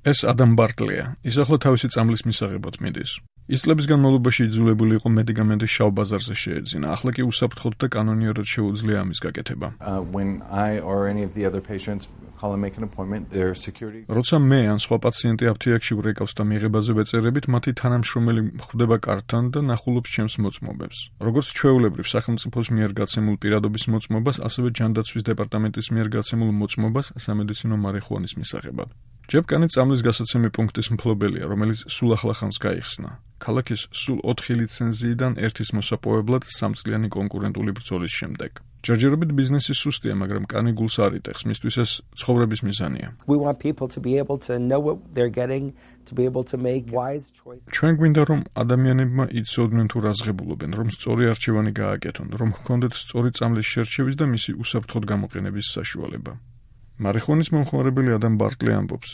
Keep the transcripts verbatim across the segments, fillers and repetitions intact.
ეს ადამ ბარტლია, ის ახლა თავისი წამლის მისაღებად მიდის. ის წლების განმავლობაში იძულებული იყო მედიკამენტის შავ ბაზარზე შეეძინა, ახლა კი უსაფრთხოდ და კანონიერად შეუძლია ამის გაკეთება. როცა მე ან სხვა პაციენტი აფთიაქში ვრეკავს და მიღებაზე ვეწერებით, მათი თანამშრომელი ხვდება კართან და ნახულობს ჩემს მოწმობებს. როგორც ჩვეულებრივ სახელმწიფოს მიერ გაცემულ პირადობის მოწმობას, ასევე ჯანდაცვის დეპარტამენტის მიერ გაცემულ მოწმობას სამედიცინო მარიხუანის მისაღებად. ჯებკანი წამლის გასაცემი პუნქტის მფლობელია, რომელიც სულ ახლა ხანს გაიხსნა. ქალაქის სულ ოთხი ლიცენზიიდან ერთის მოსაპოვებლად სამწლიანი კონკურენტული ბრძოლის შემდეგ. ჯერჯერობით ბიზნესი სუსტია, მაგრამ კანი გულს არ იტეხს, მისთვის ეს ცხოვრების მიზანია. ჩვენ გვინდა, რომ ადამიანებმა იცოდნენ თუ რაზღებულობენ, რომ სწორი არჩევანი გააკეთონ, რომ ჰქონდეთ სწორი წამლის შერჩევის და მისი უსაფრთხოდ გამოყენების საშუალება. მარიხუანის მომხმარებელი ადამ ბარტლი ამბობს.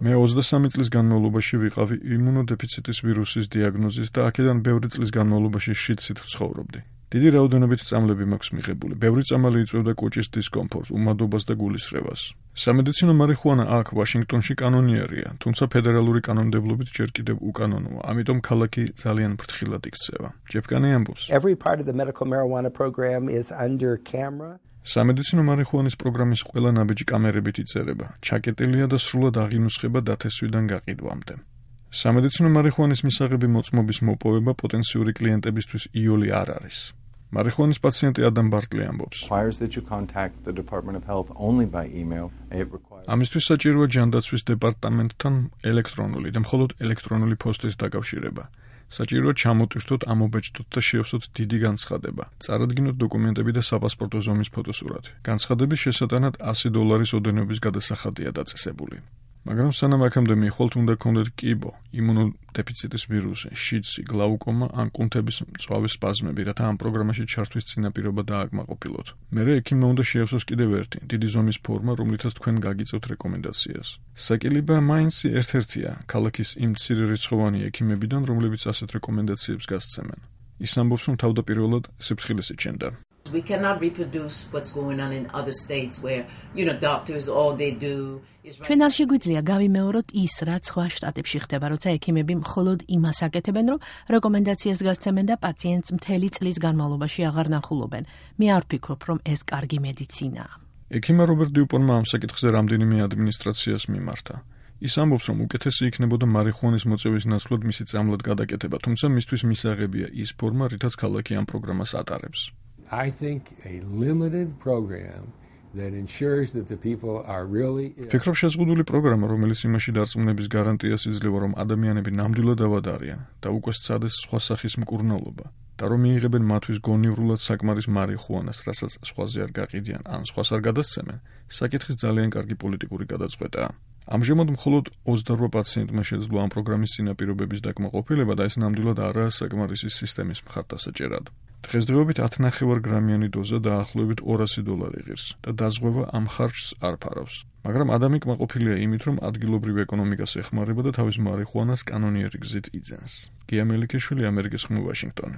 მე ოცდასამი წლის განმავლობაში ვიყავი იმუნოდეფიციტის ვირუსის დიაგნოზის და აქედან ბევრი წლის განმავლობაში შიდსით ვცხოვრობდი. დიდი რაოდენობით წამლები მაქვს მიღებული. ბევრი წამალი იწვევდა კოჭის დისკომფორტს, უმადობას და გულისრევას. სამედიცინო მარიხუანა აქ ვაშინგტონში კანონიერია, თუმცა ფედერალური კანონმდებლობით ჯერ კიდევ უკანონოა, ამიტომ ქალაქი ძალიან ფრთხილად იქცევა. ჯებკანი ამბობს. სამედიცინო მარიხუანის პროგრამის ყველა ნაბიჯი კამერებით იწერება, ჩაკეტილია და სრულად აღინუსხება დათესვიდან გაყიდვამდე. სამედიცინო მარიხუანის მისაღები მოწმობის მოპოვება პოტენციური კლიენტებისთვის იოლი არ არის. მარიხუანის პაციენტი ადამ ბარტლი ამბობს. ამისთვის საჭიროა ჯანდაცვის დეპარტამენტთან ელექტრონული და მხოლოდ ელექტრონული ფოსტის დაკავშირება. საჭიროა ჩამოტვირთოთ, ამობეჭდოთ და შეავსოთ დიდი განცხადება. წარადგინოთ დოკუმენტები და საპასპორტო ზომის ფოტოსურათი. განცხადების შესატანად ასი დოლარის ოდენობის გადასახადია დაწესებული. მაგრამ სანამ აქამდე მიხვალთ, უნდა გქონდეთ კიბო, იმუნოდეფიციტის ვირუსი, შიდსი, გლაუკომა ან კუნთების მწვავე სპაზმები, რათა ამ პროგრამაში ჩართვის წინაპირობა დააკმაყოფილოთ. მერე ექიმმა უნდა შეავსოს კიდევ ერთი, დიდი ზომის ფორმა, რომლითაც თქვენ გაგიწევთ რეკომენდაციას. საკილიბა მაინც ერთ-ერთია ქალაქის იმ მცირერიცხოვანი ექიმებიდან, რომლებიც ასეთ რეკომენდაციებს გასცემენ. ის ამბობს, რომ თავდაპირველად სიფრთხილეს იჩენდა. We cannot reproduce what's going on in other states where, you know, doctors all they do is ჩვენ არ შეგვიძლია გავიმეოროთ ის, რაც სხვა შტატებში ხდება, როცა ექიმები მხოლოდ იმას აკეთებენ, რომ რეკომენდაციას გასცემენ და პაციენტს მთელი წლის განმავლობაში აღარ ნახულობენ. მე არ ვფიქრობ, რომ ეს კარგი მედიცინაა. ექიმა რობერტ დიუპონმა ამ საკითხზე რამდენიმე ადმინისტრაციას მიმართა. ის ამბობს, რომ უკეთესი იქნებოდა მარიხუანის მოწევის ნაცვლად მისი წამლად გადაკეთება, თუმცა მისთვის მისაღებია ის ფორმა, რითაც ქალაქი ამ პროგრამას ატარებს. I think a limited program that ensures that the people are really ფიქრობ შეზღუდული პროგრამა, რომელიც იმაში დარწმუნების გარანტიას იძლევა, რომ ადამიანები ნამდვილად ავადარიან და უკვე სცადეს სხვა სახის მკურნალობა და რომ მიიღებენ მათთვის გონივრულად საკმარის მარიხუანას, რასაც სხვაზე არ გაყიდიან ან სხვას არ გადასცემენ, საკითხის ძალიან კარგი პოლიტიკური გადაწყვეტაა. ამჟამად მხოლოდ ოცდარვა პაციენტმა შეძლო ამ პროგრამის წინაპირობების დაკმაყოფილება და ეს ნამდვილად არაა საკმარისი სისტემის მხარდასაჭერად. დღესდღეობით ათი ნახევარ გრამიანი დოზა დაახლოებით ორასი დოლარი ღირს და დაზღვევა ამ ხარჯს არ ფარავს. მაგრამ ადამი კმაყოფილია იმით, რომ ადგილობრივ ეკონომიკას ეხმარება და თავის მარიხუანას კანონიერი გზით იძენს. გია მელიქიშვილი, ამერიკის ხმ, ვაშინგტონი.